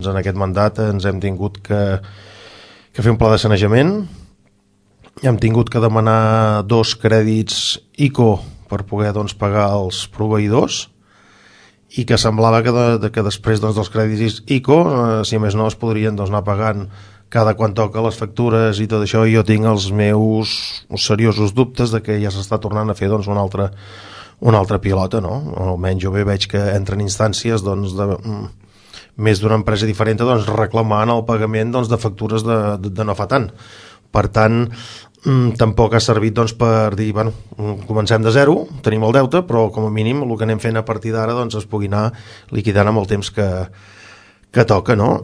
En aquest mandat ens hem tingut que fer un pla de sanejament, hem tingut que demanar 2 crèdits ICO per poder pagar els proveïdors, i que semblava que després dels crèdits ICO, si més no, es podrien anar pagant cada quan toca les factures i tot això, i jo tinc els meus seriosos dubtes de que ja s'està tornant a fer una altra pilota, no? Almenys jo veig que entren instàncies més d'una empresa diferent reclamant el pagament de factures de no fa tant. Per tant, tampoc ha servit per dir, comencem de zero, tenim el deute, però com a mínim el que anem fent a partir d'ara es pugui anar liquidant amb el temps que toca, no?